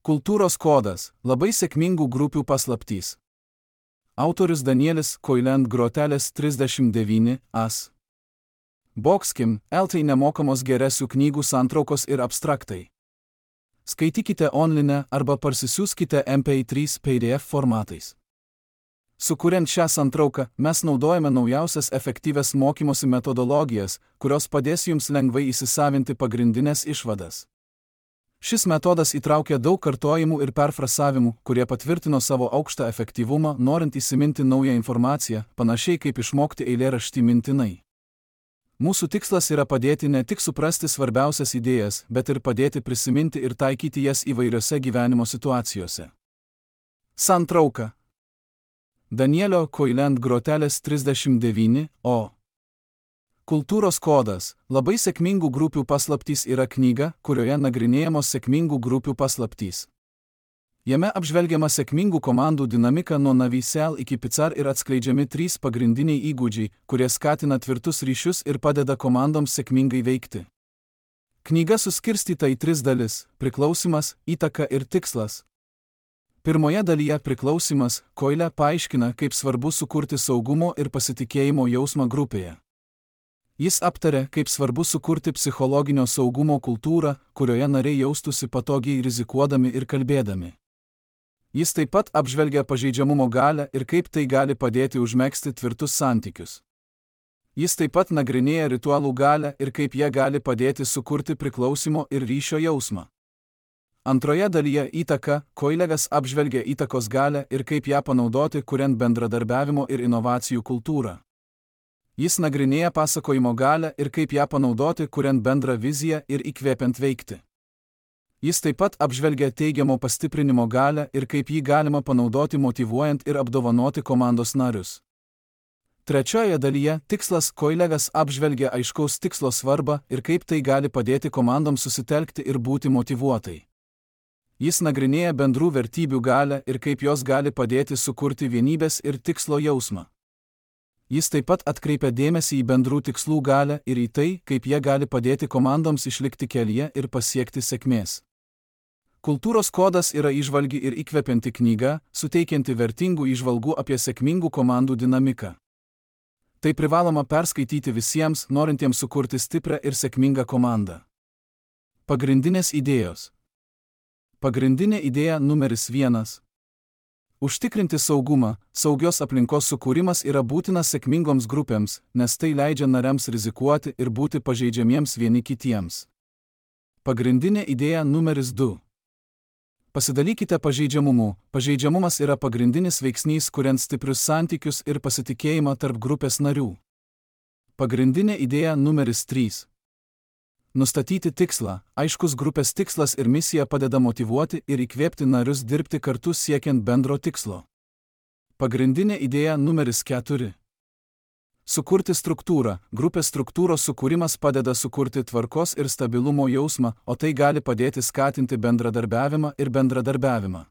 Kultūros kodas – labai sėkmingų grupių paslaptys. Autorius Danielis Koiland Grotelis 39 as. Boxkim, LT nemokamos geresių knygų santraukos ir abstraktai. Skaitykite online arba parsisiųskite MP3 PDF formatais. Sukuriant šią santrauką, mes naudojame naujausias efektyvias mokymosi metodologijas, kurios padės jums lengvai įsisavinti pagrindinės išvadas. Šis metodas įtraukia daug kartojimų ir perfrasavimų, kurie patvirtino savo aukštą efektyvumą, norint įsiminti naują informaciją, panašiai kaip išmokti eilėraštį mintinai. Mūsų tikslas yra padėti ne tik suprasti svarbiausias idėjas, bet ir padėti prisiminti ir taikyti jas įvairiose gyvenimo situacijose. Santrauka. Danielio Koiland Grotelis 39 o. Kultūros kodas – labai sėkmingų grupių paslaptys yra knyga, kurioje nagrinėjamos sėkmingų grupių paslaptys. Jame apžvelgiama sėkmingų komandų dinamika nuo Navy.cl iki Pizar ir atskleidžiami 3 pagrindiniai įgūdžiai, kurie skatina tvirtus ryšius ir padeda komandoms sėkmingai veikti. Knyga suskirstyta į 3 dalis – priklausymas, įtaka ir tikslas. Pirmoje dalyje priklausymas Koilė paaiškina, kaip svarbu sukurti saugumo ir pasitikėjimo jausmą grupėje. Jis aptarė, kaip svarbu sukurti psichologinio saugumo kultūrą, kurioje nariai jaustųsi patogiai rizikuodami ir kalbėdami. Jis taip pat apžvelgia pažeidžiamumo galią ir kaip tai gali padėti užmegzti tvirtus santykius. Jis taip pat nagrinėja ritualų galią ir kaip jie gali padėti sukurti priklausymo ir ryšio jausmą. Antroje dalyje įtaka Koilegas apžvelgia įtakos galią ir kaip ją panaudoti, kuriant bendradarbiavimo ir inovacijų kultūrą. Jis nagrinėja pasakojimo galią ir kaip ją panaudoti, kuriant bendrą viziją ir įkvėpiant veikti. Jis taip pat apžvelgia teigiamo pastiprinimo galią ir kaip jį galima panaudoti motyvuojant ir apdovanoti komandos narius. Trečioje dalyje tikslas Koilegas apžvelgia aiškaus tikslo svarbą ir kaip tai gali padėti komandoms susitelkti ir būti motyvuotai. Jis nagrinėja bendrų vertybių galią ir kaip jos gali padėti sukurti vienybės ir tikslo jausmą. Jis taip pat atkreipia dėmesį į bendrų tikslų galią ir į tai, kaip jie gali padėti komandoms išlikti kelyje ir pasiekti sėkmės. Kultūros kodas yra įžvalgi ir įkvepianti knyga, suteikianti vertingų įžvalgų apie sėkmingų komandų dinamiką. Tai privaloma perskaityti visiems, norintiems sukurti stiprią ir sėkmingą komandą. Pagrindinės idėjos. Pagrindinė idėja numeris 1. Užtikrinti saugumą, saugios aplinkos sukūrimas yra būtinas sėkmingoms grupėms, nes tai leidžia nariams rizikuoti ir būti pažeidžiamiems vieni kitiems. Pagrindinė idėja numeris 2. Pasidalykite pažeidžiamumu. Pažeidžiamumas yra pagrindinis veiksnys, kuriant stiprius santykius ir pasitikėjimą tarp grupės narių. Pagrindinė idėja numeris 3. Nustatyti tikslą. Aiškus grupės tikslas ir misija padeda motyvuoti ir įkvėpti narius dirbti kartu siekiant bendro tikslo. Pagrindinė idėja numeris 4. Sukurti struktūrą. Grupės struktūros sukūrimas padeda sukurti tvarkos ir stabilumo jausmą, o tai gali padėti skatinti bendradarbiavimą ir bendradarbiavimą.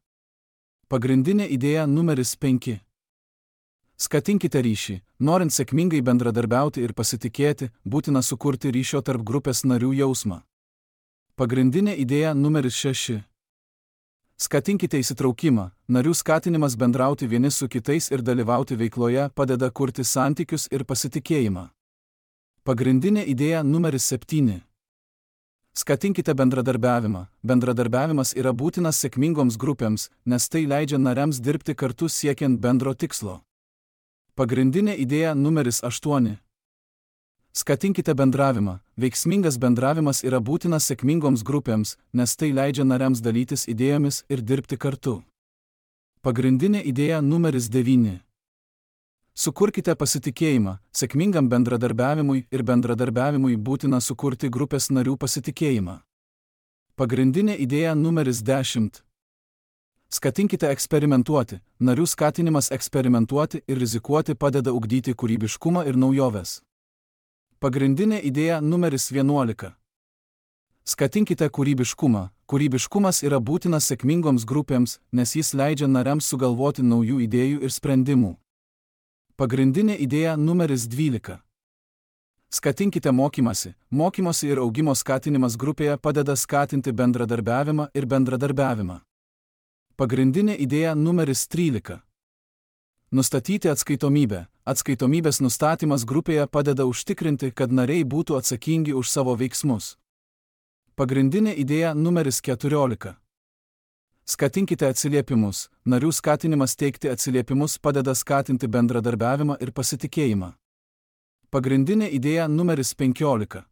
Pagrindinė idėja numeris 5. Skatinkite ryšį. Norint sėkmingai bendradarbiauti ir pasitikėti, būtina sukurti ryšio tarp grupės narių jausmą. Pagrindinė idėja numeris 6. Skatinkite įsitraukimą. Narių skatinimas bendrauti vieni su kitais ir dalyvauti veikloje padeda kurti santykius ir pasitikėjimą. Pagrindinė idėja numeris 7. Skatinkite bendradarbiavimą. Bendradarbiavimas yra būtinas sėkmingoms grupėms, nes tai leidžia nariams dirbti kartu siekiant bendro tikslo. Pagrindinė idėja numeris 8. Skatinkite bendravimą. Veiksmingas bendravimas yra būtinas sėkmingoms grupėms, nes tai leidžia nariams dalytis idėjomis ir dirbti kartu. Pagrindinė idėja numeris 9. Sukurkite pasitikėjimą. Sėkmingam bendradarbiavimui ir bendradarbiavimui būtina sukurti grupės narių pasitikėjimą. Pagrindinė idėja numeris 10. Skatinkite eksperimentuoti. Narių skatinimas eksperimentuoti ir rizikuoti padeda ugdyti kūrybiškumą ir naujoves. Pagrindinė idėja numeris 11. Skatinkite kūrybiškumą. Kūrybiškumas yra būtinas sėkmingoms grupėms, nes jis leidžia nariams sugalvoti naujų idėjų ir sprendimų. Pagrindinė idėja numeris 12. Skatinkite mokymąsi. Mokymosi ir augimo skatinimas grupėje padeda skatinti bendradarbiavimą ir bendradarbiavimą. Pagrindinė idėja numeris 13. Nustatyti atskaitomybę. Atskaitomybės nustatymas grupėje padeda užtikrinti, kad nariai būtų atsakingi už savo veiksmus. Pagrindinė idėja numeris 14. Skatinkite atsiliepimus. Narių skatinimas teikti atsiliepimus padeda skatinti bendradarbiavimą ir pasitikėjimą. Pagrindinė idėja numeris 15.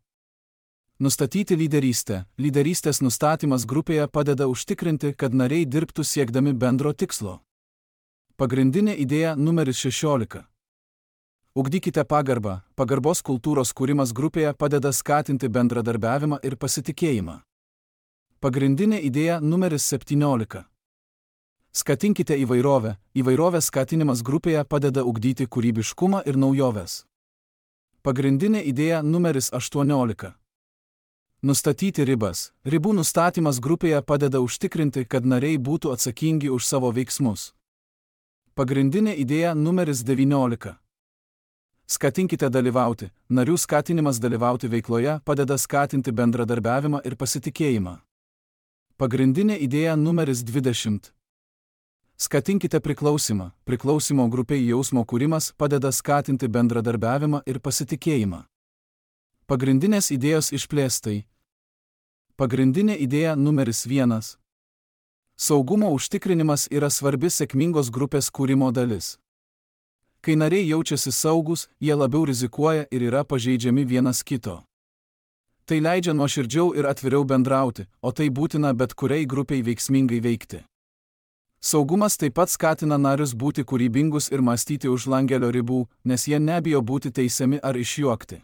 Nustatyti lyderystę. Lyderystės nustatymas grupėje padeda užtikrinti, kad nariai dirbtų siekdami bendro tikslo. Pagrindinė idėja numeris 16. Ugdykite pagarbą. Pagarbos kultūros kūrimas grupėje padeda skatinti bendradarbiavimą ir pasitikėjimą. Pagrindinė idėja numeris 17. Skatinkite įvairovę. Įvairovės skatinimas grupėje padeda ugdyti kūrybiškumą ir naujoves. Pagrindinė idėja numeris 18. Nustatyti ribas. Ribų nustatymas grupėje padeda užtikrinti, kad nariai būtų atsakingi už savo veiksmus. Pagrindinė idėja numeris 19. Skatinkite dalyvauti. Narių skatinimas dalyvauti veikloje padeda skatinti bendradarbiavimą ir pasitikėjimą. Pagrindinė idėja numeris 20. Skatinkite priklausymą. Priklausimo grupiai jausmo kūrimas padeda skatinti bendradarbiavimą ir pasitikėjimą. Pagrindinės idėjos išplėstai. Pagrindinė idėja numeris 1. Saugumo užtikrinimas yra svarbi sėkmingos grupės kūrimo dalis. Kai nariai jaučiasi saugus, jie labiau rizikuoja ir yra pažeidžiami vienas kito. Tai leidžia nuoširdžiau ir atviriau bendrauti, o tai būtina bet kuriai grupiai veiksmingai veikti. Saugumas taip pat skatina narius būti kūrybingus ir mąstyti už langelio ribų, nes jie nebijo būti teisiami ar išjuokti.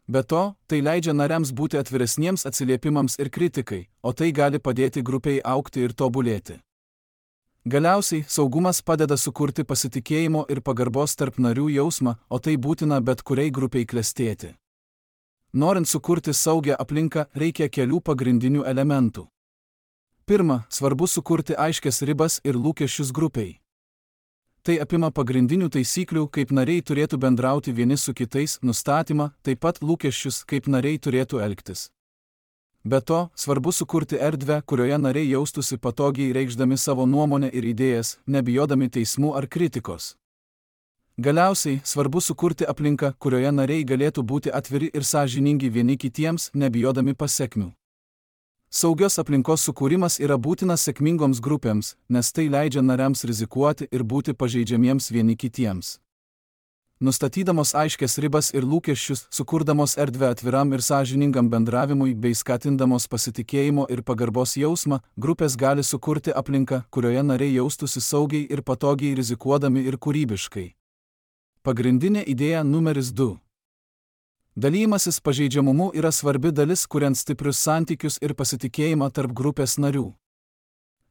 Be to, tai leidžia nariams būti atviresniems atsiliepimams ir kritikai, o tai gali padėti grupiai augti ir tobulėti. Galiausiai, saugumas padeda sukurti pasitikėjimo ir pagarbos tarp narių jausmą, o tai būtina bet kuriai grupiai klestėti. Norint sukurti saugią aplinką, reikia kelių pagrindinių elementų. Pirma, svarbu sukurti aiškias ribas ir lūkesčius grupiai. Tai apima pagrindinių taisyklių, kaip nariai turėtų bendrauti vieni su kitais, nustatymą, taip pat lūkesčius, kaip nariai turėtų elgtis. Be to, svarbu sukurti erdvę, kurioje nariai jaustųsi patogiai reikšdami savo nuomonę ir idėjas, nebijodami teismų ar kritikos. Galiausiai, svarbu sukurti aplinką, kurioje nariai galėtų būti atviri ir sąžiningi vieni kitiems, nebijodami pasekmių. Saugios aplinkos sukūrimas yra būtinas sėkmingoms grupėms, nes tai leidžia nariams rizikuoti ir būti pažeidžiamiems vieni kitiems. Nustatydamos aiškias ribas ir lūkesčius, sukurdamos erdvę atviram ir sąžiningam bendravimui bei skatindamos pasitikėjimo ir pagarbos jausmą, grupės gali sukurti aplinką, kurioje nariai jaustųsi saugiai ir patogiai rizikuodami ir kūrybiškai. Pagrindinė idėja numeris 2. Dalymasis pažeidžiamumu yra svarbi dalis, kuriant stiprius santykius ir pasitikėjimą tarp grupės narių.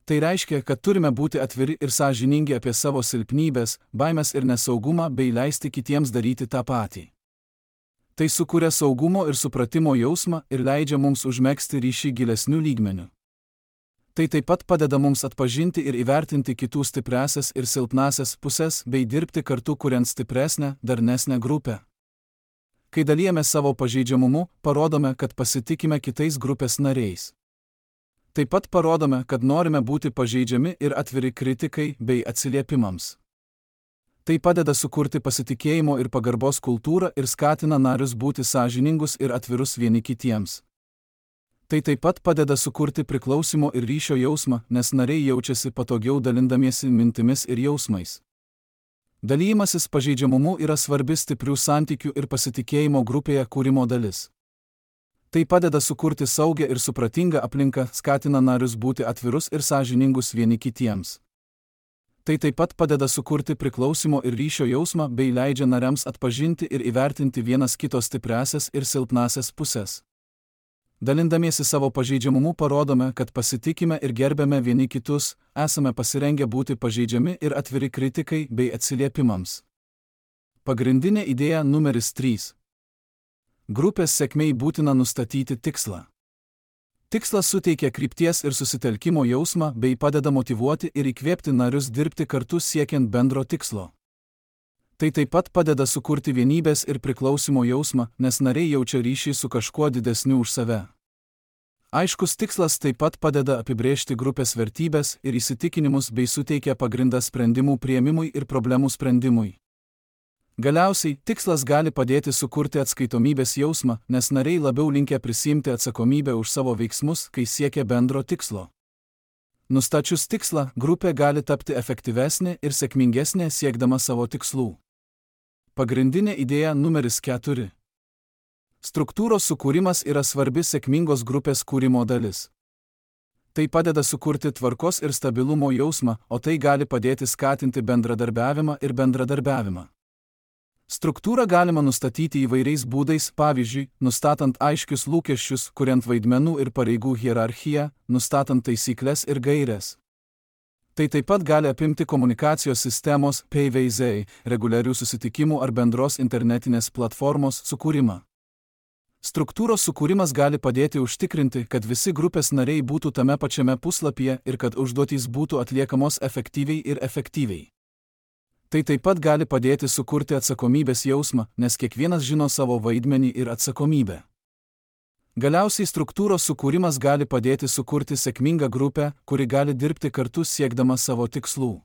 Tai reiškia, kad turime būti atviri ir sąžiningi apie savo silpnybės, baimes ir nesaugumą bei leisti kitiems daryti tą patį. Tai sukuria saugumo ir supratimo jausmą ir leidžia mums užmegzti ryšį gilesnių lygmenių. Tai taip pat padeda mums atpažinti ir įvertinti kitų stipriąsias ir silpnąsias pusės bei dirbti kartu kuriant stipresnę, darnesnę grupę. Kai dalijame savo pažeidžiamumu, parodome, kad pasitikime kitais grupės nariais. Taip pat parodome, kad norime būti pažeidžiami ir atviri kritikai bei atsiliepimams. Tai padeda sukurti pasitikėjimo ir pagarbos kultūrą ir skatina narius būti sąžiningus ir atvirus vieni kitiems. Tai taip pat padeda sukurti priklausymo ir ryšio jausmą, nes nariai jaučiasi patogiau dalindamiesi mintimis ir jausmais. Dalymasis pažeidžiamumu yra svarbi stiprių santykių ir pasitikėjimo grupėje kūrimo dalis. Tai padeda sukurti saugią ir supratingą aplinką, skatina narius būti atvirus ir sąžiningus vieni kitiems. Tai taip pat padeda sukurti priklausymo ir ryšio jausmą bei leidžia nariams atpažinti ir įvertinti vienas kito stipriąsias ir silpnąsias pusės. Dalindamiesi savo pažeidžiamumu parodome, kad pasitikime ir gerbėme vieni kitus, esame pasirengę būti pažeidžiami ir atviri kritikai bei atsiliepimams. Pagrindinė idėja numeris 3. Grupės sėkmei būtina nustatyti tikslą. Tikslas suteikia krypties ir susitelkimo jausmą bei padeda motyvuoti ir įkvėpti narius dirbti kartu siekiant bendro tikslo. Tai taip pat padeda sukurti vienybės ir priklausimo jausmą, nes nariai jaučia ryšį su kažkuo didesniu už save. Aiškus tikslas taip pat padeda apibrėžti grupės vertybes ir įsitikinimus bei suteikia pagrindą sprendimų priėmimui ir problemų sprendimui. Galiausiai, tikslas gali padėti sukurti atskaitomybės jausmą, nes nariai labiau linkę prisiimti atsakomybę už savo veiksmus, kai siekia bendro tikslo. Nustačius tikslą, grupė gali tapti efektyvesnė ir sėkmingesnė siekdama savo tikslų. Pagrindinė idėja numeris 4. Struktūros sukūrimas yra svarbi sėkmingos grupės kūrimo dalis. Tai padeda sukurti tvarkos ir stabilumo jausmą, o tai gali padėti skatinti bendradarbiavimą ir bendradarbiavimą. Struktūrą galima nustatyti įvairiais būdais, pavyzdžiui, nustatant aiškius lūkesčius, kuriant vaidmenų ir pareigų hierarchiją, nustatant taisyklės ir gaires. Tai taip pat gali apimti komunikacijos sistemos, PVZ, reguliarių susitikimų ar bendros internetinės platformos sukūrimą. Struktūros sukūrimas gali padėti užtikrinti, kad visi grupės nariai būtų tame pačiame puslapyje ir kad užduotys būtų atliekamos efektyviai ir efektyviai. Tai taip pat gali padėti sukurti atsakomybės jausmą, nes kiekvienas žino savo vaidmenį ir atsakomybę. Galiausiai struktūros sukūrimas gali padėti sukurti sėkmingą grupę, kuri gali dirbti kartu siekdama savo tikslų.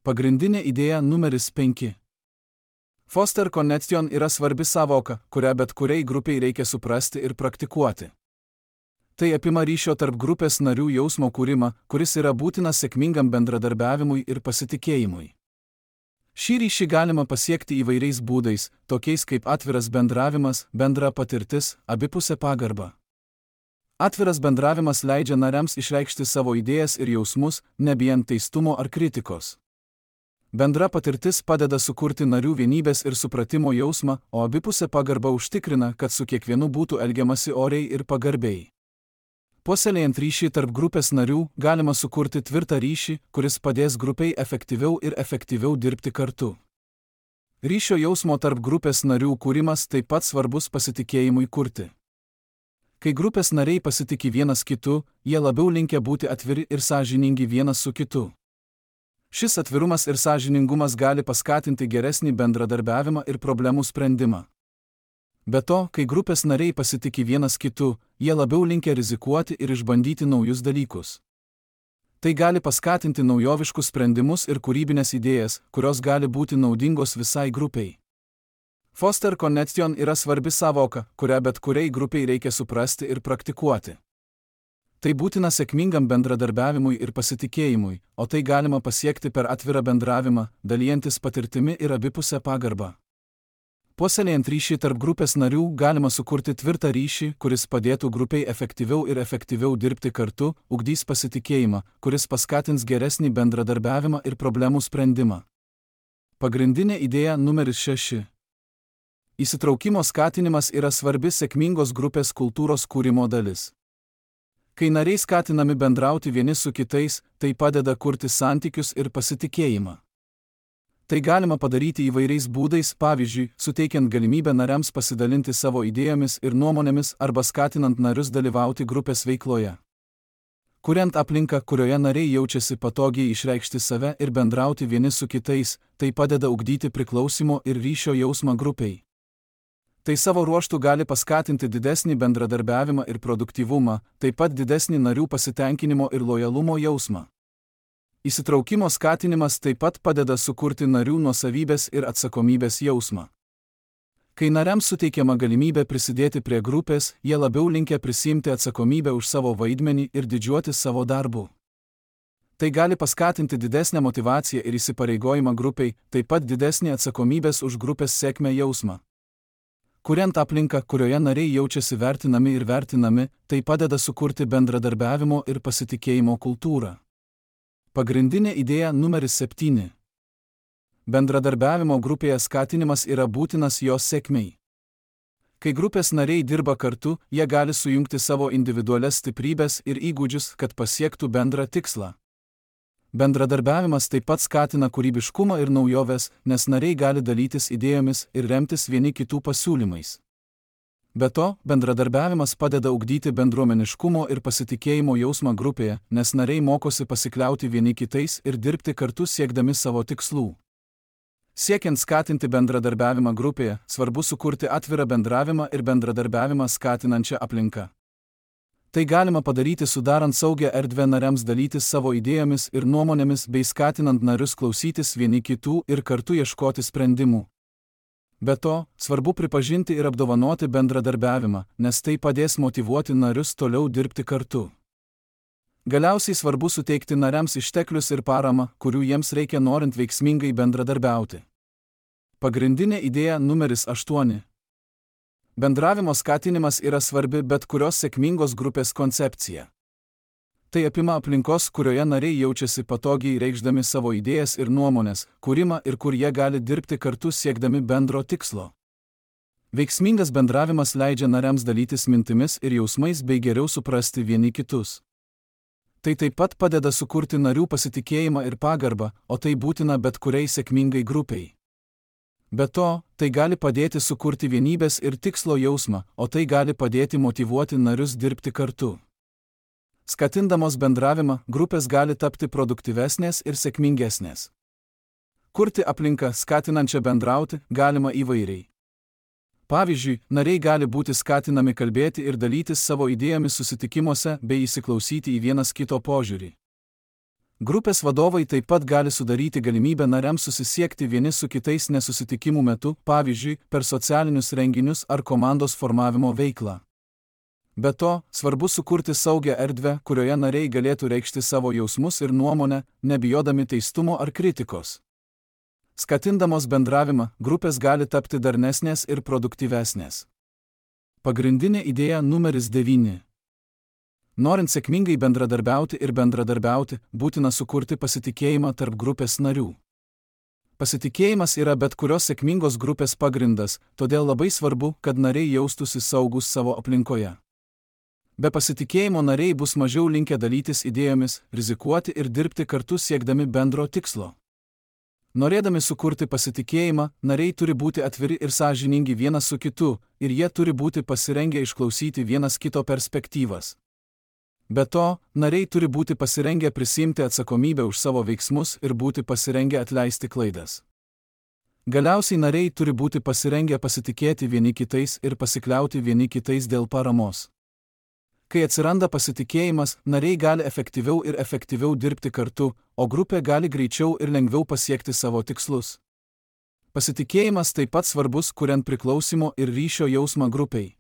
Pagrindinė idėja numeris 5. Foster Connection yra svarbi sąvoka, kurią bet kuriai grupiai reikia suprasti ir praktikuoti. Tai apima ryšio tarp grupės narių jausmo kūrimą, kuris yra būtinas sėkmingam bendradarbiavimui ir pasitikėjimui. Šį ryšį galima pasiekti įvairiais būdais, tokiais kaip atviras bendravimas, bendra patirtis, abipusė pagarba. Atviras bendravimas leidžia nariams išreikšti savo idėjas ir jausmus, nebijant teistumo ar kritikos. Bendra patirtis padeda sukurti narių vienybės ir supratimo jausmą, o abipusė pagarba užtikrina, kad su kiekvienu būtų elgiamasi oriai ir pagarbiai. Puoselėjant ryšį tarp grupės narių, galima sukurti tvirtą ryšį, kuris padės grupiai efektyviau dirbti kartu. Ryšio jausmo tarp grupės narių kūrimas taip pat svarbus pasitikėjimui kurti. Kai grupės nariai pasitiki vienas kitu, jie labiau linkę būti atviri ir sąžiningi vienas su kitu. Šis atvirumas ir sąžiningumas gali paskatinti geresnį bendradarbiavimą ir problemų sprendimą. Be to, kai grupės nariai pasitiki vienas kitu, jie labiau linkę rizikuoti ir išbandyti naujus dalykus. Tai gali paskatinti naujoviškus sprendimus ir kūrybinės idėjas, kurios gali būti naudingos visai grupiai. Foster Connection yra svarbi sąvoka, kurią bet kuriai grupiai reikia suprasti ir praktikuoti. Tai būtina sėkmingam bendradarbiavimui ir pasitikėjimui, o tai galima pasiekti per atvirą bendravimą, dalijantis patirtimi ir abipusę pagarbą. Puoselėjant ryšį tarp grupės narių galima sukurti tvirtą ryšį, kuris padėtų grupiai efektyviau dirbti kartu, ugdys pasitikėjimą, kuris paskatins geresnį bendradarbiavimą ir problemų sprendimą. Pagrindinė idėja numeris 6. Įsitraukimo skatinimas yra svarbi sėkmingos grupės kultūros kūrimo dalis. Kai nariai skatinami bendrauti vieni su kitais, tai padeda kurti santykius ir pasitikėjimą. Tai galima padaryti įvairiais būdais, pavyzdžiui, suteikiant galimybę nariams pasidalinti savo idėjomis ir nuomonėmis arba skatinant narius dalyvauti grupės veikloje. Kuriant aplinką, kurioje nariai jaučiasi patogiai išreikšti save ir bendrauti vieni su kitais, tai padeda ugdyti priklausimo ir ryšio jausmą grupiai. Tai savo ruožtu gali paskatinti didesnį bendradarbiavimą ir produktyvumą, taip pat didesnį narių pasitenkinimo ir lojalumo jausmą. Įsitraukimo skatinimas taip pat padeda sukurti narių nuosavybės ir atsakomybės jausmą. Kai nariams suteikiama galimybė prisidėti prie grupės, jie labiau linkę prisiimti atsakomybę už savo vaidmenį ir didžiuotis savo darbu. Tai gali paskatinti didesnę motyvaciją ir įsipareigojimą grupiai, taip pat didesnį atsakomybės už grupės sėkmę jausmą. Kuriant aplinką, kurioje nariai jaučiasi vertinami ir vertinami, tai padeda sukurti bendradarbiavimo ir pasitikėjimo kultūrą. Pagrindinė idėja numeris 7. Bendradarbiavimo grupėje skatinimas yra būtinas jos sėkmei. Kai grupės nariai dirba kartu, jie gali sujungti savo individualias stiprybės ir įgūdžius, kad pasiektų bendrą tikslą. Bendradarbiavimas taip pat skatina kūrybiškumą ir naujoves, nes nariai gali dalytis idėjomis ir remtis vieni kitų pasiūlymais. Be to, bendradarbiavimas padeda ugdyti bendruomeniškumo ir pasitikėjimo jausmą grupėje, nes nariai mokosi pasikliauti vieni kitais ir dirbti kartu siekdami savo tikslų. Siekiant skatinti bendradarbiavimą grupėje, svarbu sukurti atvirą bendravimą ir bendradarbiavimą skatinančią aplinką. Tai galima padaryti sudarant saugią erdvę nariams dalytis savo idėjomis ir nuomonėmis bei skatinant narius klausytis vieni kitų ir kartu ieškoti sprendimų. Be to, svarbu pripažinti ir apdovanoti bendradarbiavimą, nes tai padės motyvuoti narius toliau dirbti kartu. Galiausiai svarbu suteikti nariams išteklius ir paramą, kurių jiems reikia norint veiksmingai bendradarbiauti. Pagrindinė idėja numeris 8. Bendravimo skatinimas yra svarbi bet kurios sėkmingos grupės koncepcija. Tai apima aplinkos, kurioje nariai jaučiasi patogiai reikšdami savo idėjas ir nuomonės, kūrimą ir kur jie gali dirbti kartu siekdami bendro tikslo. Veiksmingas bendravimas leidžia nariams dalytis mintimis ir jausmais bei geriau suprasti vieni kitus. Tai taip pat padeda sukurti narių pasitikėjimą ir pagarbą, o tai būtina bet kuriai sėkmingai grupiai. Be to, tai gali padėti sukurti vienybės ir tikslo jausmą, o tai gali padėti motyvuoti narius dirbti kartu. Skatindamos bendravimą, grupės gali tapti produktyvesnės ir sėkmingesnės. Kurti aplinką, skatinančią bendrauti, galima įvairiai. Pavyzdžiui, nariai gali būti skatinami kalbėti ir dalytis savo idėjomis susitikimuose bei įsiklausyti į vienas kito požiūrį. Grupės vadovai taip pat gali sudaryti galimybę nariams susisiekti vieni su kitais nesusitikimų metu, pavyzdžiui, per socialinius renginius ar komandos formavimo veiklą. Be to, svarbu sukurti saugią erdvę, kurioje nariai galėtų reikšti savo jausmus ir nuomonę, nebijodami teistumo ar kritikos. Skatindamos bendravimą, grupės gali tapti darnesnės ir produktyvesnės. Pagrindinė idėja numeris 9. Norint sėkmingai bendradarbiauti, būtina sukurti pasitikėjimą tarp grupės narių. Pasitikėjimas yra bet kurios sėkmingos grupės pagrindas, todėl labai svarbu, kad nariai jaustųsi saugus savo aplinkoje. Be pasitikėjimo nariai bus mažiau linkę dalytis idėjomis, rizikuoti ir dirbti kartu siekdami bendro tikslo. Norėdami sukurti pasitikėjimą, nariai turi būti atviri ir sąžiningi vienas su kitu, ir jie turi būti pasirengę išklausyti vienas kito perspektyvas. Be to, nariai turi būti pasirengę prisiimti atsakomybę už savo veiksmus ir būti pasirengę atleisti klaidas. Galiausiai nariai turi būti pasirengę pasitikėti vieni kitais ir pasikliauti vieni kitais dėl paramos. Kai atsiranda pasitikėjimas, nariai gali efektyviau dirbti kartu, o grupė gali greičiau ir lengviau pasiekti savo tikslus. Pasitikėjimas taip pat svarbus, kuriant priklausimo ir ryšio jausmą grupiai.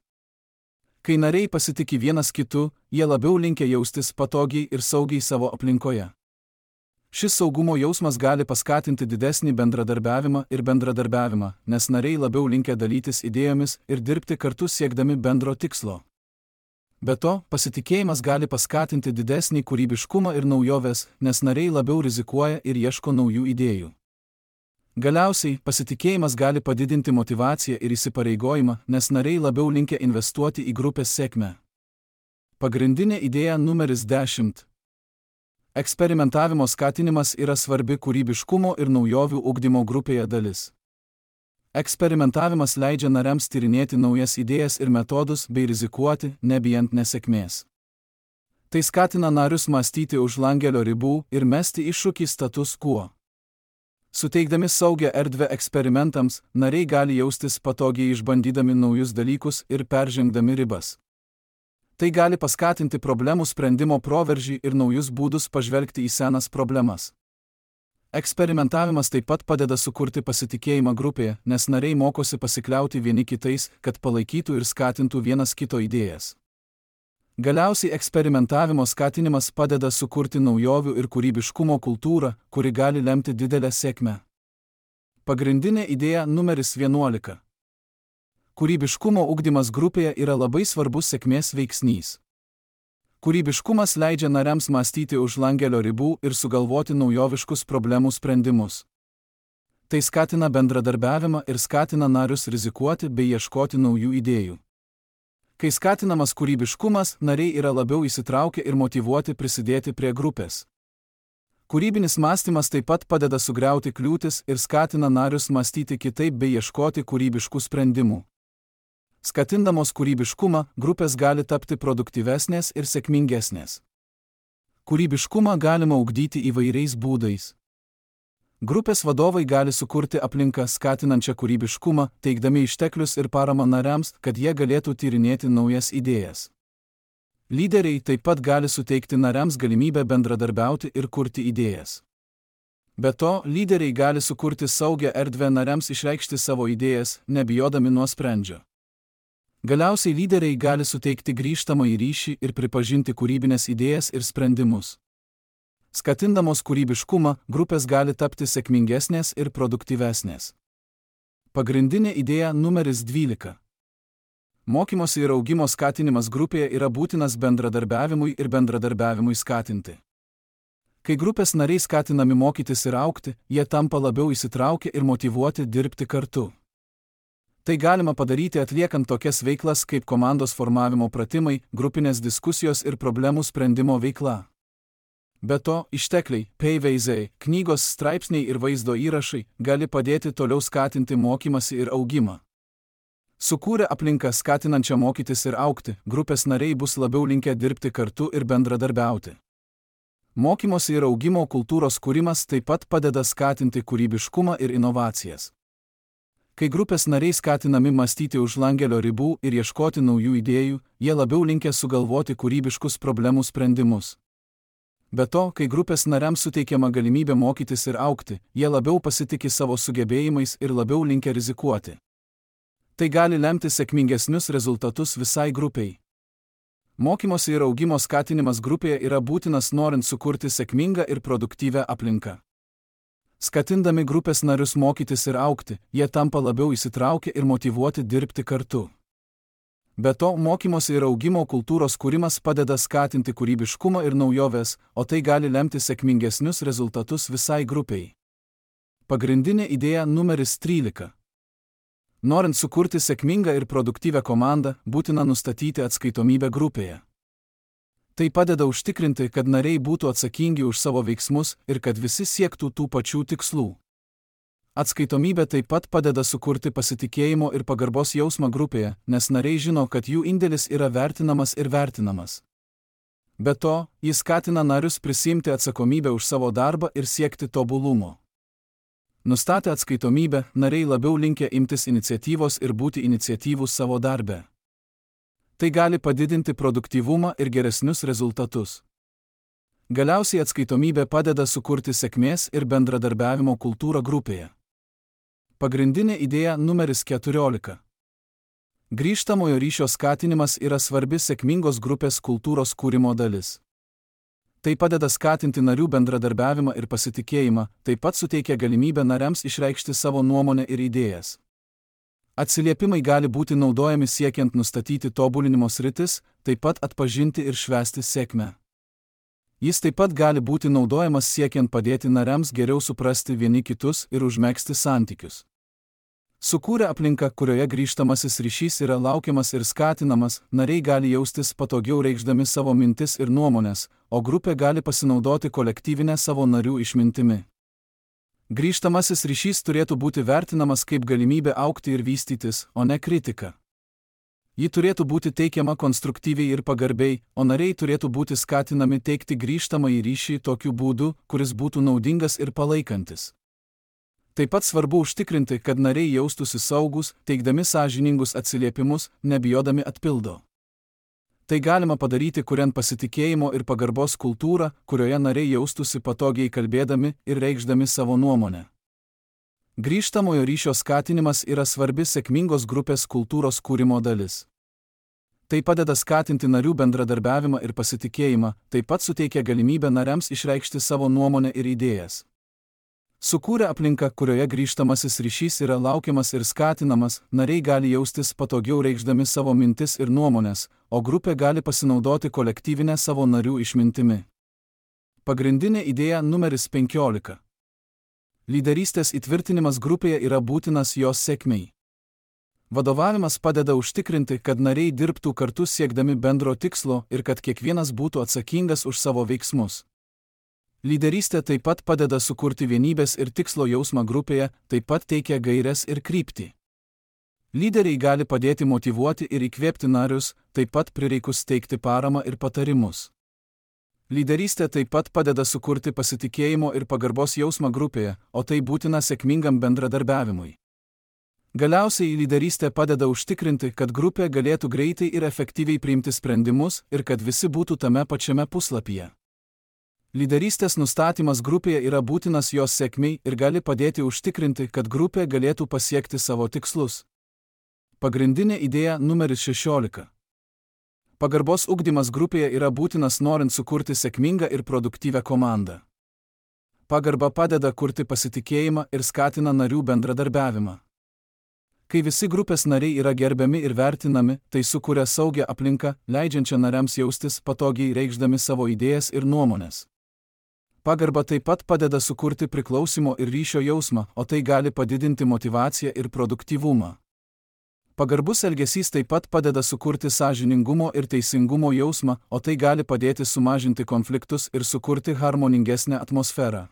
Kai nariai pasitiki vienas kitu, jie labiau linkę jaustis patogiai ir saugiai savo aplinkoje. Šis saugumo jausmas gali paskatinti didesnį bendradarbiavimą, nes nariai labiau linkę dalytis idėjomis ir dirbti kartu siekdami bendro tikslo. Be to, pasitikėjimas gali paskatinti didesnį kūrybiškumą ir naujoves, nes nariai labiau rizikuoja ir ieško naujų idėjų. Galiausiai, pasitikėjimas gali padidinti motyvaciją ir įsipareigojimą, nes nariai labiau linkę investuoti į grupės sėkmę. Pagrindinė idėja numeris 10. Eksperimentavimo skatinimas yra svarbi kūrybiškumo ir naujovių ugdymo grupėje dalis. Eksperimentavimas leidžia nariams tyrinėti naujas idėjas ir metodus bei rizikuoti, nebijant nesėkmės. Tai skatina narius mąstyti už langelio ribų ir mesti iššūkį status quo. Suteikdami saugią erdvę eksperimentams, nariai gali jaustis patogiai išbandydami naujus dalykus ir peržengdami ribas. Tai gali paskatinti problemų sprendimo proveržį ir naujus būdus pažvelgti į senas problemas. Eksperimentavimas taip pat padeda sukurti pasitikėjimą grupėje, nes nariai mokosi pasikliauti vieni kitais, kad palaikytų ir skatintų vienas kito idėjas. Galiausiai eksperimentavimo skatinimas padeda sukurti naujovių ir kūrybiškumo kultūrą, kuri gali lemti didelę sėkmę. Pagrindinė idėja numeris 11. Kūrybiškumo ugdymas grupėje yra labai svarbus sėkmės veiksnys. Kūrybiškumas leidžia nariams mąstyti už langelio ribų ir sugalvoti naujoviškus problemų sprendimus. Tai skatina bendradarbiavimą ir skatina narius rizikuoti bei ieškoti naujų idėjų. Kai skatinamas kūrybiškumas, nariai yra labiau įsitraukę ir motyvuoti prisidėti prie grupės. Kūrybinis mąstymas taip pat padeda sugriauti kliūtis ir skatina narius mąstyti kitaip bei ieškoti kūrybiškų sprendimų. Skatindamos kūrybiškumą, grupės gali tapti produktyvesnės ir sėkmingesnės. Kūrybiškumą galima ugdyti įvairiais būdais. Grupės vadovai gali sukurti aplinką skatinančią kūrybiškumą, teikdami išteklius ir paramą nariams, kad jie galėtų tyrinėti naujas idėjas. Lyderiai taip pat gali suteikti nariams galimybę bendradarbiauti ir kurti idėjas. Be to, lyderiai gali sukurti saugią erdvę nariams išreikšti savo idėjas, nebijodami nuosprendžio. Galiausiai lyderiai gali suteikti grįžtamąjį ryšį ir pripažinti kūrybinės idėjas ir sprendimus. Skatindamos kūrybiškumą, grupės gali tapti sėkmingesnės ir produktyvesnės. Pagrindinė idėja numeris 12. Mokymosi ir augimo skatinimas grupėje yra būtinas bendradarbiavimui ir bendradarbiavimui skatinti. Kai grupės nariai skatinami mokytis ir augti, jie tampa labiau įsitraukę ir motyvuoti dirbti kartu. Tai galima padaryti atliekant tokias veiklas kaip komandos formavimo pratimai, grupinės diskusijos ir problemų sprendimo veikla. Be to, ištekliai, pavyzdžiai, knygos, straipsniai ir vaizdo įrašai gali padėti toliau skatinti mokymąsi ir augimą. Sukūrę aplinką skatinančią mokytis ir augti, grupės nariai bus labiau linkę dirbti kartu ir bendradarbiauti. Mokymosi ir augimo kultūros kūrimas taip pat padeda skatinti kūrybiškumą ir inovacijas. Kai grupės nariai skatinami mąstyti už langelio ribų ir ieškoti naujų idėjų, jie labiau linkę sugalvoti kūrybiškus problemų sprendimus. Be to, kai grupės nariams suteikiama galimybė mokytis ir augti, jie labiau pasitiki savo sugebėjimais ir labiau linkę rizikuoti. Tai gali lemti sėkmingesnius rezultatus visai grupiai. Mokymosi ir augimo skatinimas grupėje yra būtinas norint sukurti sėkmingą ir produktyvią aplinką. Skatindami grupės narius mokytis ir augti, jie tampa labiau įsitraukę ir motyvuoti dirbti kartu. Be to, mokymosi ir augimo kultūros kūrimas padeda skatinti kūrybiškumą ir naujoves, o tai gali lemti sėkmingesnius rezultatus visai grupiai. Pagrindinė idėja numeris 13. Norint sukurti sėkmingą ir produktyvią komandą, būtina nustatyti atskaitomybę grupėje. Tai padeda užtikrinti, kad nariai būtų atsakingi už savo veiksmus ir kad visi siektų tų pačių tikslų. Atskaitomybė taip pat padeda sukurti pasitikėjimo ir pagarbos jausmą grupėje, nes nariai žino, kad jų indėlis yra vertinamas ir vertinamas. Be to, jis skatina narius prisiimti atsakomybę už savo darbą ir siekti tobulumo. Nustatę atskaitomybę, nariai labiau linkę imtis iniciatyvos ir būti iniciatyvūs savo darbe. Tai gali padidinti produktyvumą ir geresnius rezultatus. Galiausiai atskaitomybė padeda sukurti sėkmės ir bendradarbiavimo kultūrą grupėje. Pagrindinė idėja numeris 14. Grįžtamojo ryšio skatinimas yra svarbi sėkmingos grupės kultūros kūrimo dalis. Tai padeda skatinti narių bendradarbiavimą ir pasitikėjimą, taip pat suteikia galimybę nariams išreikšti savo nuomonę ir idėjas. Atsiliepimai gali būti naudojami siekiant nustatyti tobulinimo sritis, taip pat atpažinti ir švęsti sėkmę. Jis taip pat gali būti naudojamas siekiant padėti nariams geriau suprasti vieni kitus ir užmegzti santykius. Sukūrę aplinką, kurioje grįžtamasis ryšys yra laukiamas ir skatinamas, nariai gali jaustis patogiau reikšdami savo mintis ir nuomonės, o grupė gali pasinaudoti kolektyvinę savo narių išmintimi. Grįžtamasis ryšys turėtų būti vertinamas kaip galimybė augti ir vystytis, o ne kritika. Ji turėtų būti teikiama konstruktyviai ir pagarbiai, o nariai turėtų būti skatinami teikti grįžtamąjį ryšį tokiu būdu, kuris būtų naudingas ir palaikantis. Taip pat svarbu užtikrinti, kad nariai jaustųsi saugus, teikdami sąžiningus atsiliepimus, nebijodami atpildo. Tai galima padaryti, kuriant pasitikėjimo ir pagarbos kultūrą, kurioje nariai jaustųsi patogiai kalbėdami ir reikšdami savo nuomonę. Grįžtamojo ryšio skatinimas yra svarbi sėkmingos grupės kultūros kūrimo dalis. Tai padeda skatinti narių bendradarbiavimą ir pasitikėjimą, taip pat suteikia galimybę nariams išreikšti savo nuomonę ir idėjas. Sukūrę aplinką, kurioje grįžtamasis ryšys yra laukiamas ir skatinamas, nariai gali jaustis patogiau reikšdami savo mintis ir nuomonės, o grupė gali pasinaudoti kolektyvinę savo narių išmintimi. Pagrindinė idėja numeris 15. Lyderystės įtvirtinimas grupėje yra būtinas jos sėkmei. Vadovavimas padeda užtikrinti, kad nariai dirbtų kartu siekdami bendro tikslo ir kad kiekvienas būtų atsakingas už savo veiksmus. Lyderystė taip pat padeda sukurti vienybės ir tikslo jausmą grupėje, taip pat teikia gaires ir kryptį. Lyderiai gali padėti motyvuoti ir įkvėpti narius, taip pat prireikus teikti paramą ir patarimus. Lyderystė taip pat padeda sukurti pasitikėjimo ir pagarbos jausmą grupėje, o tai būtina sėkmingam bendradarbiavimui. Galiausiai lyderystė padeda užtikrinti, kad grupė galėtų greitai ir efektyviai priimti sprendimus ir kad visi būtų tame pačiame puslapyje. Lyderystės nustatymas grupėje yra būtinas jos sėkmei ir gali padėti užtikrinti, kad grupė galėtų pasiekti savo tikslus. Pagrindinė idėja numeris 16. Pagarbos ugdymas grupėje yra būtinas norint sukurti sėkmingą ir produktyvią komandą. Pagarba padeda kurti pasitikėjimą ir skatina narių bendradarbiavimą. Kai visi grupės nariai yra gerbiami ir vertinami, tai sukuria saugią aplinką, leidžiančią nariams jaustis patogiai reikšdami savo idėjas ir nuomonės. Pagarba taip pat padeda sukurti priklausimo ir ryšio jausmą, o tai gali padidinti motyvaciją ir produktyvumą. Pagarbus elgesys taip pat padeda sukurti sąžiningumo ir teisingumo jausmą, o tai gali padėti sumažinti konfliktus ir sukurti harmoningesnę atmosferą.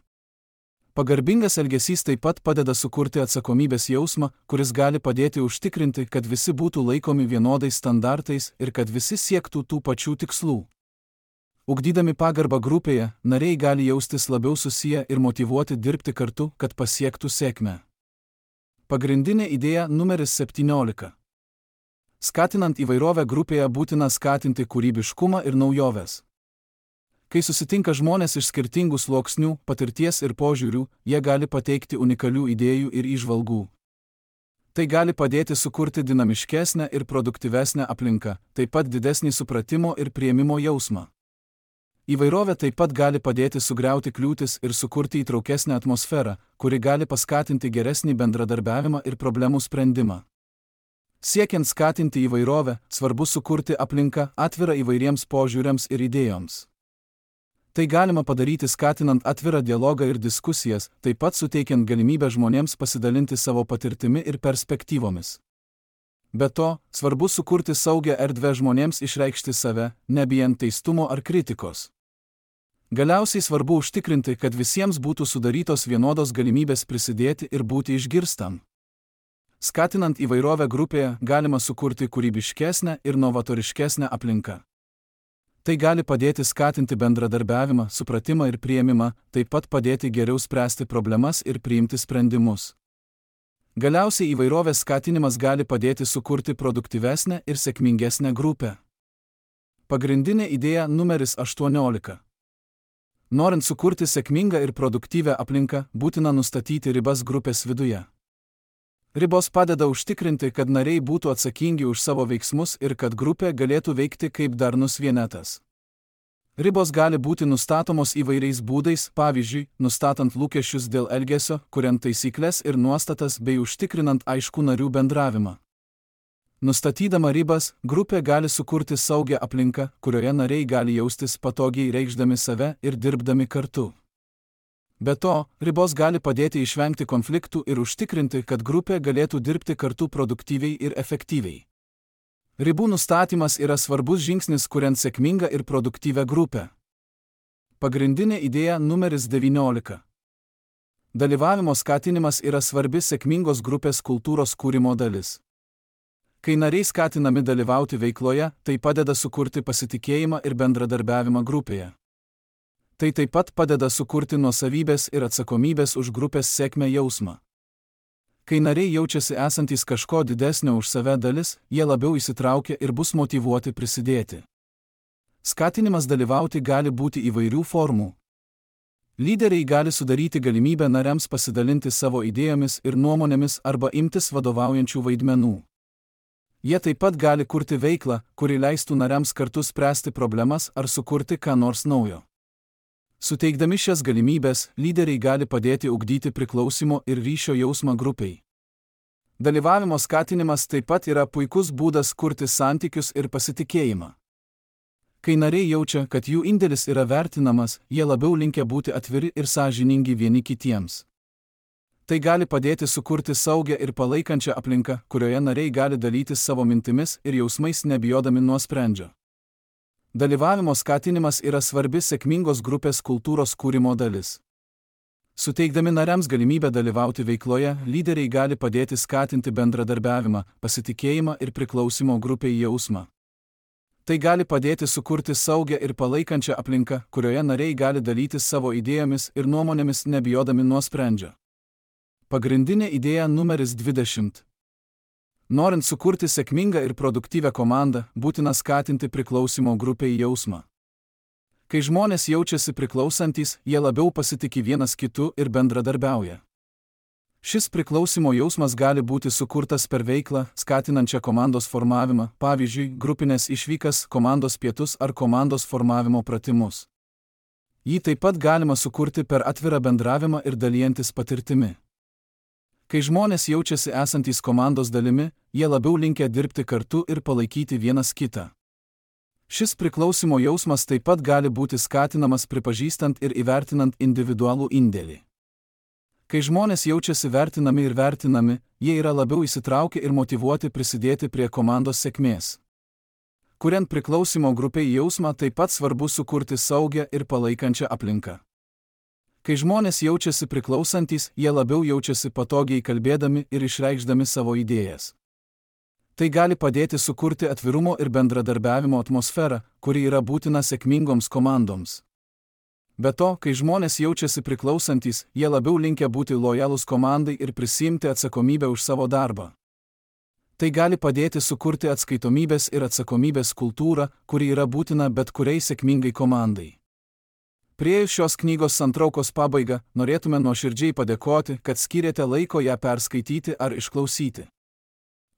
Pagarbingas elgesys taip pat padeda sukurti atsakomybės jausmą, kuris gali padėti užtikrinti, kad visi būtų laikomi vienodais standartais ir kad visi siektų tų pačių tikslų. Ugdydami pagarbą grupėje, nariai gali jaustis labiau susiję ir motyvuoti dirbti kartu, kad pasiektų sėkmę. Pagrindinė idėja numeris 17. Skatinant įvairovę grupėje būtina skatinti kūrybiškumą ir naujoves. Kai susitinka žmonės iš skirtingų sluoksnių, patirties ir požiūrių, jie gali pateikti unikalių idėjų ir įžvalgų. Tai gali padėti sukurti dinamiškesnę ir produktyvesnę aplinką, taip pat didesnį supratimo ir priėmimo jausmą. Įvairovė taip pat gali padėti sugriauti kliūtis ir sukurti įtraukesnę atmosferą, kuri gali paskatinti geresnį bendradarbiavimą ir problemų sprendimą. Siekiant skatinti įvairovę, svarbu sukurti aplinką atvirą įvairiems požiūriams ir idėjoms. Tai galima padaryti skatinant atvirą dialogą ir diskusijas, taip pat suteikiant galimybę žmonėms pasidalinti savo patirtimi ir perspektyvomis. Be to, svarbu sukurti saugią erdvę žmonėms išreikšti save, nebijant teistumo ar kritikos. Galiausiai svarbu užtikrinti, kad visiems būtų sudarytos vienodos galimybės prisidėti ir būti išgirstam. Skatinant įvairovę grupėje, galima sukurti kūrybiškesnę ir novatoriškesnę aplinką. Tai gali padėti skatinti bendradarbiavimą, supratimą ir priėmimą, taip pat padėti geriau spręsti problemas ir priimti sprendimus. Galiausiai įvairovės skatinimas gali padėti sukurti produktyvesnę ir sėkmingesnę grupę. Pagrindinė idėja numeris 18. Norint sukurti sėkmingą ir produktyvią aplinką, būtina nustatyti ribas grupės viduje. Ribos padeda užtikrinti, kad nariai būtų atsakingi už savo veiksmus ir kad grupė galėtų veikti kaip darnus vienetas. Ribos gali būti nustatomos įvairiais būdais, pavyzdžiui, nustatant lūkesčius dėl elgesio, kuriant taisyklės ir nuostatas bei užtikrinant aiškų narių bendravimą. Nustatydama ribas, grupė gali sukurti saugią aplinką, kurioje nariai gali jaustis patogiai reikšdami save ir dirbdami kartu. Be to, ribos gali padėti išvengti konfliktų ir užtikrinti, kad grupė galėtų dirbti kartu produktyviai ir efektyviai. Ribų nustatymas yra svarbus žingsnis, kuriant sėkmingą ir produktyvią grupę. Pagrindinė idėja numeris 19. Dalyvavimo skatinimas yra svarbi sėkmingos grupės kultūros kūrimo dalis. Kai nariai skatinami dalyvauti veikloje, tai padeda sukurti pasitikėjimą ir bendradarbiavimą grupėje. Tai taip pat padeda sukurti nuosavybės ir atsakomybės už grupės sėkmę jausmą. Kai nariai jaučiasi esantys kažko didesnio už save dalis, jie labiau įsitraukia ir bus motyvuoti prisidėti. Skatinimas dalyvauti gali būti įvairių formų. Lyderiai gali sudaryti galimybę nariams pasidalinti savo idėjomis ir nuomonėmis arba imtis vadovaujančių vaidmenų. Jie taip pat gali kurti veiklą, kuri leistų nariams kartu spręsti problemas ar sukurti ką nors naujo. Suteikdami šias galimybės, lyderiai gali padėti ugdyti priklausimo ir ryšio jausmą grupiai. Dalyvavimo skatinimas taip pat yra puikus būdas kurti santykius ir pasitikėjimą. Kai nariai jaučia, kad jų indėlis yra vertinamas, jie labiau linkę būti atviri ir sąžiningi vieni kitiems. Tai gali padėti sukurti saugią ir palaikančią aplinką, kurioje nariai gali dalytis savo mintimis ir jausmais nebijodami nuosprendžio. Dalyvavimo skatinimas yra svarbi sėkmingos grupės kultūros kūrimo dalis. Suteikdami nariams galimybę dalyvauti veikloje, lyderiai gali padėti skatinti bendradarbiavimą, pasitikėjimą ir priklausimo grupiai jausmą. Tai gali padėti sukurti saugią ir palaikančią aplinką, kurioje nariai gali dalytis savo idėjomis ir nuomonėmis nebijodami nuosprendžio. Pagrindinė idėja numeris 20. Norint sukurti sėkmingą ir produktyvią komandą, būtina skatinti priklausimo grupei jausmą. Kai žmonės jaučiasi priklausantys, jie labiau pasitiki vienas kitu ir bendradarbiauja. Šis priklausimo jausmas gali būti sukurtas per veiklą, skatinančią komandos formavimą, pavyzdžiui, grupinės išvykas, komandos pietus ar komandos formavimo pratimus. Jį taip pat galima sukurti per atvirą bendravimą ir dalijantis patirtimi. Kai žmonės jaučiasi esantys komandos dalimi, jie labiau linkę dirbti kartu ir palaikyti vienas kitą. Šis priklausimo jausmas taip pat gali būti skatinamas pripažįstant ir įvertinant individualų indėlį. Kai žmonės jaučiasi vertinami ir vertinami, jie yra labiau įsitraukę ir motyvuoti prisidėti prie komandos sėkmės. Kuriant priklausimo grupiai jausmą, taip pat svarbu sukurti saugią ir palaikančią aplinką. Kai žmonės jaučiasi priklausantys, jie labiau jaučiasi patogiai kalbėdami ir išreikšdami savo idėjas. Tai gali padėti sukurti atvirumo ir bendradarbiavimo atmosferą, kuri yra būtina sėkmingoms komandoms. Be to, kai žmonės jaučiasi priklausantys, jie labiau linkę būti lojalūs komandai ir prisiimti atsakomybę už savo darbą. Tai gali padėti sukurti atskaitomybės ir atsakomybės kultūrą, kuri yra būtina bet kuriai sėkmingai komandai. Priėjus šios knygos santraukos pabaigą, norėtume nuoširdžiai padėkoti, kad skyrėte laiko ją perskaityti ar išklausyti.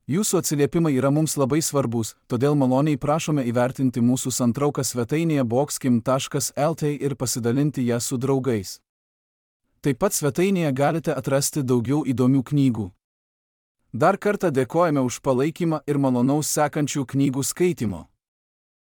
Jūsų atsiliepimai yra mums labai svarbus, todėl maloniai prašome įvertinti mūsų santrauką svetainėje boxkim.lt ir pasidalinti ją su draugais. Taip pat svetainėje galite atrasti daugiau įdomių knygų. Dar kartą dėkojame už palaikymą ir malonaus sekančių knygų skaitimo.